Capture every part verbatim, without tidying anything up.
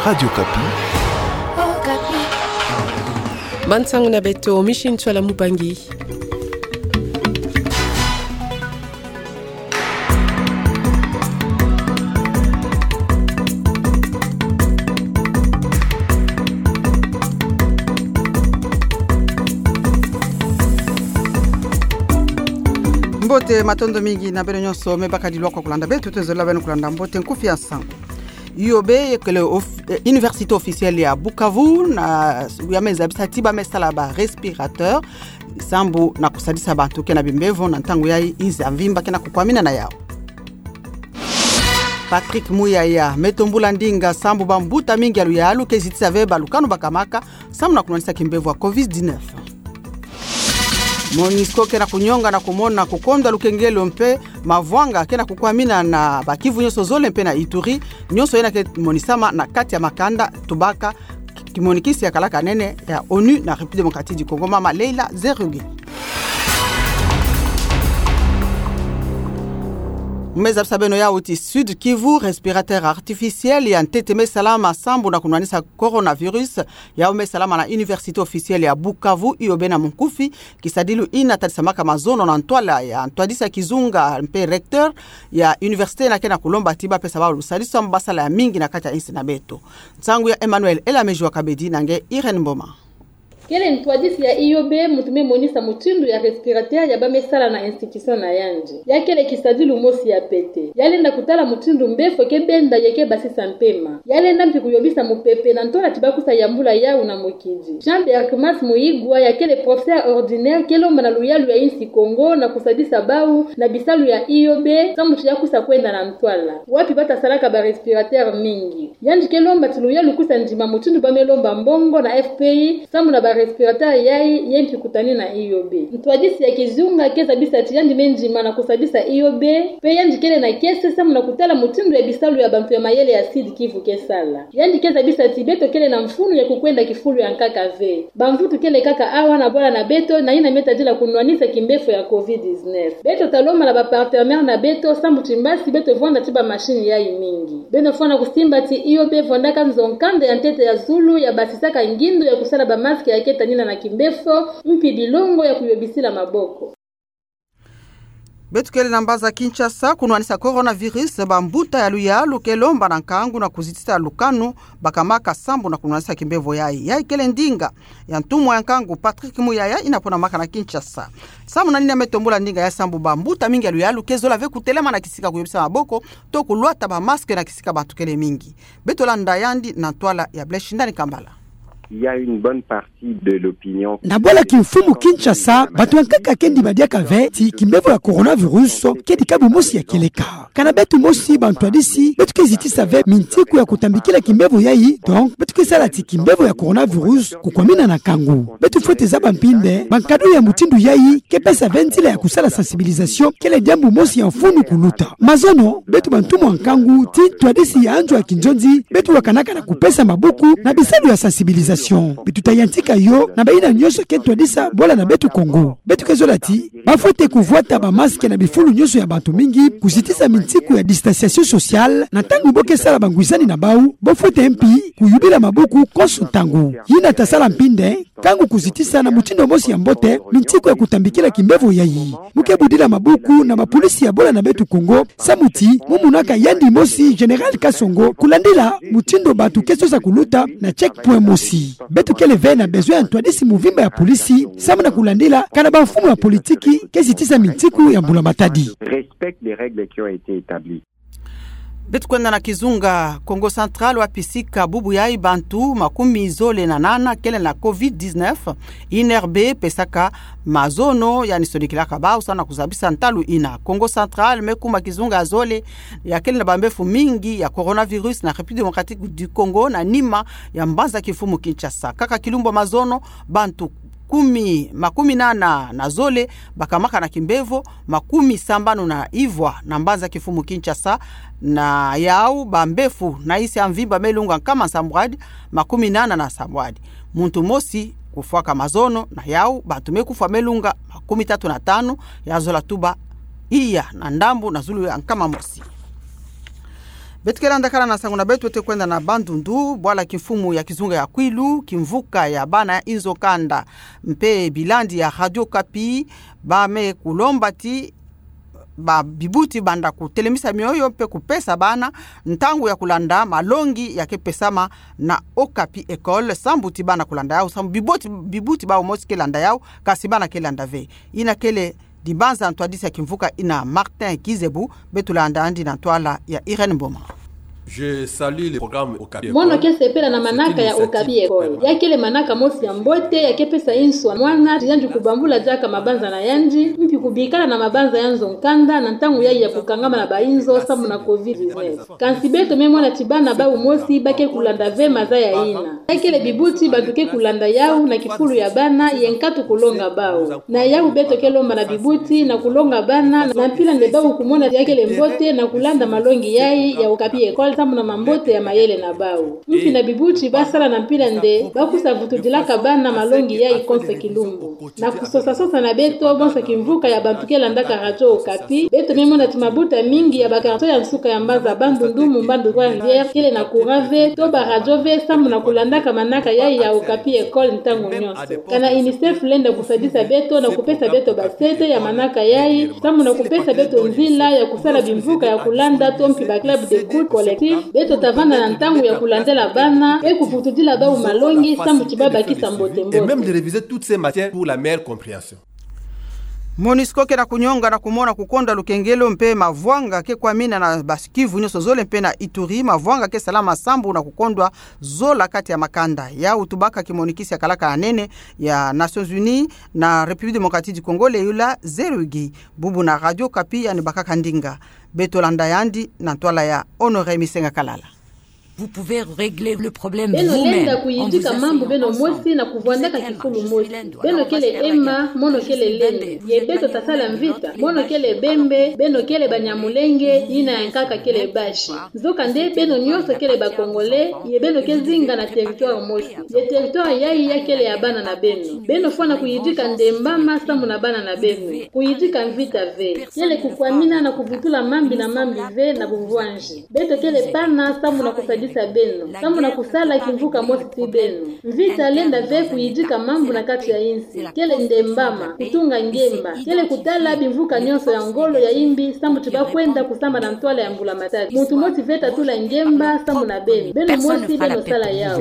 Radio Okapi. Bansango na beto, Micheline Ntsoila Mubangi. Mbote, matondo mingi na beno nyonso me bakadi lwaka kulanda beto, tuzolele beno kulanda mbote nkufi ya nsangu. I O B, ye kele of-, eh, Université Officielle ya Bukavu, na ya me zabisa ti ba me sala ba respirateur, sambu na kusadisa bantu ke na bimbevo na ntangu yayi nza mvimba ke na kukwamina na yawu. Patrick Muyaya me tombula ndinga sambu bambuta mingi ya luyalu ke zitisa ve balukanu bakamaka, sambu na kunwanisa kimbevo ya covid dix-neuf. Monusco ke na kunyonga na kumona kukondwa lukengelo mpe mavwanga ke na kukwamina na ba kivu nyonso zole mpe na Ituri, nyonso yena ke monisama na kati ya makanda tubaka kimonikisi ya kalaka nene ya ONU na République Démocratique du Congo, mama Leila Zerugui. Mu me zabisa beno yawu ti Sud Kivu, respirateur artificiel ya ntete me salama sambu na kunwanisa coronavirus, yawu me salama na Université Officielle ya Bukavu, I O B na munkufi, kisadilu yina tadisamaka mazono na ntwala ya ntwadisi ya kizunga mpe recteur ya université yina ke na kulomba ti ba pesa bawu lusadisu sambu ba sala ya mingi na kati ya insi na beto. Nsangu ya Emmanuel Elamejiwa Kabedi na nge Irène Mboma. Kele ntwadisi ya I O B muntu me monisa mutindu ya respirateur ya ba me sala na institution na yandi. Ya kele kisadilu mosi ya pete. Ya lenda kutala mutindu mbefo ke benda ye ke basisa mpema. Ya lenda mpi kuyobisa mupepe na ntwala ti ba kusa yambula yawu na mukidi. Jean Berckmas Muyigwa, ya kele professeur ordinaire, ke lomba na luyalu ya insi Congo na kusadisa bawu na bisalu ya I O B sambu ti ya kusa kwenda na ntwala wapi ba ta salaka ba respirateur mingi. Yandi ke lomba ti luyalu kusa ndima mutindu ba me lomba mbongo na F P I sambu na ba respirateur yayi ye mpi kutani na I O B. Ntwadisi ya kizunga ke zabisa ti yandi me ndima na kusadisa I O B, mpe yandi kele na kiese sambu na kutala mutindu ya bisalu ya bantu ya mayele ya Sud Kivu ke sala. Yandi ke zabisa ti beto kele na mfunu ya kukwenda kifulu ya nkaka ve. Bamvutu kele kaka awa na bwala na beto na yina me tadila kunwanisa kimbefo ya covid dix-neuf. Beto ta lomba na ba partenaire na beto sambu ti mbasi beto vwanda ti ba machine yayi mingi. Beno fwana kusimba ti I O B vwandaka nzo kanda ya ntete ya zulu ya basisaka ngindu ya kusala ba masque ya ke tanina na kimbefo, mpi bilongo ya kuyobisila maboko. Beto kele na mbanza Kinshasa, kunwanisa coronavirus, bambuta ya luyalu ke lomba na nkangu na kuzitisa lukanu bakamaka sambu na kunwanisa kimbevo yayi. Yayi kele ndinga ya ntumwa ya nkangu Patrick Muyaya, yina pona maka na Kinshasa. Sambu na nina me tombula ndinga yayi sambu bambuta mingi ya luyalu ke zola ve kutelama na kisika kuyobisa maboko, to kulwata ba masque na kisika bantu kele mingi. Beto landa yandi na ntwala ya Blaise Shindani Kambala. Il y a une bonne partie de l'opinion. Na bwala kimfumu Kinshasa, bantu ya nkaka ke ndima diaka ve ti kimbevo ya coronavirus ke dikabu mosi ya kieleka. Kana beto mosi bantwadisi, beto ke zitisa ve mintiku ya kutambikila kimbevo yayi, donc beto ke sala ti kimbevo ya coronavirus kukwamina na nkangu. Beto fwete zaba mpinde bankado ya mutindu yayi ke pesa ve nzila ya kusala sensibilisation, kele diambu mosi ya mfunu kuluta. Mazono, beto bantumwa nkangu ti ntwadisi ya nzo ya kinzonzi, beto wakanaka na kupesa maboko na bisalu ya sensibilisation. Beto ta yantika yo na bayina nyonso ke ntwadisa bwala na beto Kongo. Beto ke zola ti ba fwete kuvwata ba masque na bifulu nyonso ya bantu mingi, kuzitisa mintiku ya distanciation sociale, na ntangu bo ke sala bangwisani na bawu, bo fwete mpi kuyubila maboko konso ntangu. Yina ta sala mpinde nkangu kuzitisa na mutindu mosi ya mbote mintiku ya kutambikila kimbevo yayi. Mu ke budila maboko na bapolisi ya bwala na beto Kongo, samu ti mu monaka yandi mosi Général Kasongo kulandila mutindu bantu ke sosa kuluta na checkpoint mosi. Beto kele ve na besoin ya ntwadisi muvimba ya polisi, samu na kulandila kana bamfumu ya politiki ke zitisa mintiku ya mbula matadi. Respecte les règles qui ont été établies. Beto kwenda na kizunga Kongo Central, wapi sika bubu yayi bantu makumi zole na nana kele na covid dix-neuf. I N R B pesaka mazono, yandi sonikilaka bawu samu na kuzabisa ntalu yina. Kongo Central me kuma kizunga ya zole ya kele na bambefu mingi ya coronavirus na République Démocratique du Congo, na nima ya mbanza kimfumu Kinshasa. Kaka kilumbu ya mazono, bantu kumi, makumi nana na zole bakamaka na kimbevo, makumi sambanu na ivwa na mbanza kimfumu Kinshasa, na yawu bambefu na insi ya mvimba me lunga nkama nsambwadi, makumi nana na nsambwadi. Muntu mosi kufwaka mazono, na yawu bantu me kufwa me lunga makumi tatu na tanu, ya zola tuba iya na ndambu na zulu ya nkama mosi. Beto ke landa kala na nsangu na beto, beto kwenda na Bandundu, bwala kimfumu ya kizunga ya Kwilu, kimvuka ya bana inzo kanda mpe bilandi ya Radio Okapi, bame kulomba ti ba bibuti banda kutelemisa mioyo mpe kupesa bana ntangu ya kulanda malongi ya ke pesama na Okapi École, sambu ti bana kulanda yau, sambu bibuti, bibuti bau mosi ke landa yau, kasi bana ke landa ve. Ina kele dibanza ntwadisi ya kimvuka ina Martin Kizebu, beto landa yandi na ntwala ya Irène Mboma. Je salue le programme Okapi École. Mono ke sepela na manaka ya Okapi École. Ya kele manaka mosi ya mbote, ya ke pesa insu ya mwana, ti yandi kubambula diaka mabanza na yandi, mpi kubikala na mabanza ya nzo kanda, na ntangu yayi ya kukangama na ba inzo, sambu na covid dix-neuf. Kansi beto me mona ti bana bau mosi ba ke kulanda ve maza ya ina. Ya kele bibuti bantu ke kulanda yau na kifulu ya bana ye nkatu kulonga bau. Na yau beto ke lomba na bibuti na kulonga bana, na mpila nde bau kumona ya kele mbote na kulanda malongi yayi ya Okapi École sambu na mambote ya mayele na bau. Mpi na bibuti ba sala na mpila nde ba kusa vutudilaka bana malongi yayi konso kilumbu. Na kusosa-sosa na beto, bonso kimvuka ya bantu ke landaka Radio Okapi, beto me mona ti mabuta mingi ya ba quartier ya nsuka ya mbanza Bandundu, Mumbandu, Trois-Rivières, kele na courant ve, to ba radio ve, sambu na kulandaka manaka yayi ya Okapi École ntangu nyonso. Kana UNICEF lenda kusadisa beto na kupesa beto ba sete ya manaka yayi, sambu na kupesa beto nzila ya kusala bimvuka ya kulanda, to mpi ba club d'écoute collective, beto ta vanda na ntangu ya kulandela bana, mpe kuvutudila bau malongi, sambu ti ba bakisa mbote-mbote. Et même de réviser toutes ces matières pour la meilleure compréhension. MONUSCO ke na kunyonga na kumona kukondwa lukengelo mpe mavwanga ke kwamina na bas-Kivu nyonso zole mpe na Ituri, mavwanga ke salama sambu na kukondwa zola kati ya makanda. Yau tubaka kimonikisi ya kalaka ya nene ya Nations Unies na République Démocratique du Congo, Leila Zerugui, bubu na Radio Okapi yandi bakaka ndinga. Beto landa yandi na ntwala ya Honoré Misenga Kalala. Vous pouvez régler le problème vous-même. Beno lenda kuyidika mambu beno mosi na kuvwandaka kifulu mosi. Beno kele ema, mono kele lene. Ye beto ta sala mvita. Mono kele Bembe, beno kele Banyamulenge, yina ya nkaka kele Bashi. Nzokande beno nyonso kele ba Congolais, ye beno ke zinga na territoire mosi. Ye territoire yayi ya kele ya bana na beno. Beno fwana kuyidika ndembama sambu na bana na beno. Kuyidika mvita ve. Kele kukwamina na kuvutula mambi na mambi ve na bumvwanzi. Beto kele pana sambu na kusadisa beno, sambu na kusala kimvuka mosi ti beno. Mvita lenda ve kuyidika mambu na kati ya insi. Kele ndembama, kutunga ngemba. Kele kutala bimvuka nyonso ya ngolo ya imbi, sambu ti ba kwenda kusamba na ntwala ya mbula matadi. Muntu mosi ve ta tula ngemba sambu na beno. Beno mosi beno sala yau.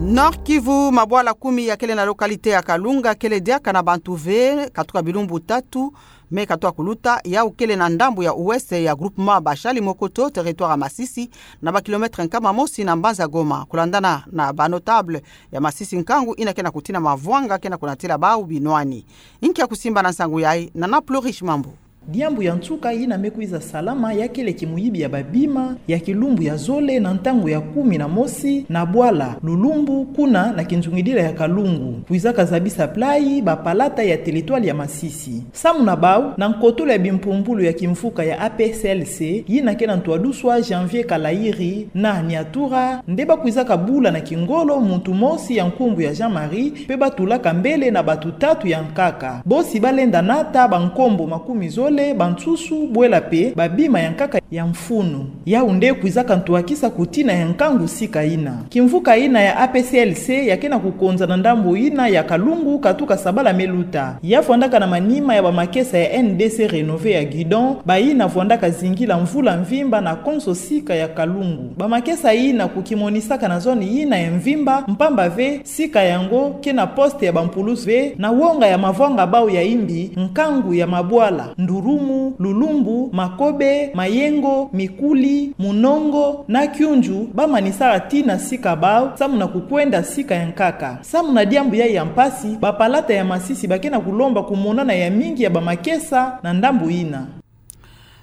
Nord-Kivu, mabwala kumi ya kele na localité ya Kalunga kele diaka na bantu ve, katuka bilumbu tatu me katuka kuluta. Yau kele na ndambu ya ouest ya groupement Bashali Mokoto, territoire ya Masisi, na ba kilomètre nkama mosi na mbanza Goma. Kulandana na ba notable ya Masisi, nkangu yina ke na kutina mavwanga ke na kunatila bau binwani. Inki ya kusimba na nsangu yayi? Nana Plurish Mambu. Diambu ya nsuka yina me kwiza salama ya kele kimuyibi ya babima ya kilumbu ya zole na ntangu ya kumi na mosi na bwala Lulumbu, kuna na kinzungidila ya Kalungu, kwizaka zabisa playi bapalata ya territoire ya Masisi. Samu na bau, na nkotolo ya bimpumbulu ya kimvuka ya A P C L C, yina ke na ntwaduswa Janvier Kalayiri na Niatura, nde bakwizaka bula na kingolo muntu mosi ya nkumbu ya Jean-Marie, mpe batulaka mbele na batu tatu ya nkaka. Bosi balenda nata bankombo makumi zole, bansusu, bwela mpe babima ya nkaka ya mfunu. Yau nde kwizaka ntwakisa kutina ya nkangu sika yina. Kimvuka yina ya A P C L C ya ke na kukonza na ndambu yina ya Kalungu katuka sabala me luta. Ya vwandaka na manima ya bamakesa ya N D C Renové ya Guidon, bayina vwandaka zingila mvula mvimba na konso sika ya Kalungu. Bamakesa yina kukimonisaka na zone yina ya mvimba, mpamba ve sika yango ke na poste ya bampulusu ve, na wonga ya mavwanga bau ya imbi, nkangu ya mabwala, Ndurumu, Lulumbu, Makobe, Mayengo, Mikuli, Munongo na Kyunju, bamanisaka tii na sika bau, samu na kukwenda sika ya nkaka. Samu na diambu yayi ya mpasi, bapalata ya Masisi ba ke na kulomba kumonana ya mingi ya bamakesa na ndambu yina.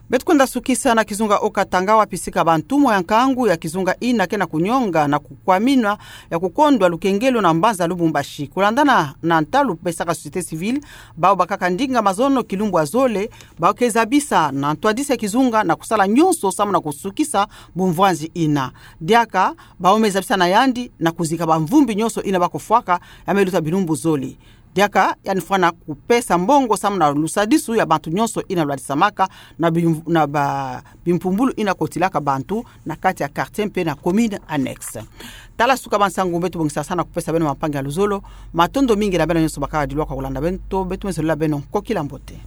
Beto kwenda sukisa na kizunga Haut-Katanga, wapi sika bantumwa ya nkangu ya kizunga yina ke na kunyonga na kukwamina ya kukondwa lukengelo na mbanza Lubumbashi. Kulandana na ntalu pesaka société civile, bau bakaka ndinga mazono kilumbu ya zole, bau ke zabisa na ntwadisi ya kizunga na kusala nyonso samu na kusukisa bumvwanzi yina. Diaka, bau me zabisa na yandi na kuzika bamvumbi nyonso yina ba kufwaka ya me luta bilumbu zole. Diaka yandi fwana kupesa mbongo samu na lusadisu ya bantu nyonso ina lwadisamaka na bim-, na ba-, bimpumbulu ina kotilaka bantu na kati ya quartier mpe na commune annexe. Tala suka bansangu beto bongisa sana kupesa beno mampangi ya luzolo. Matondo mingi na beno nyonso bakala dilwa kwa kulanda beto, beto me zolila beno nkokila mbote.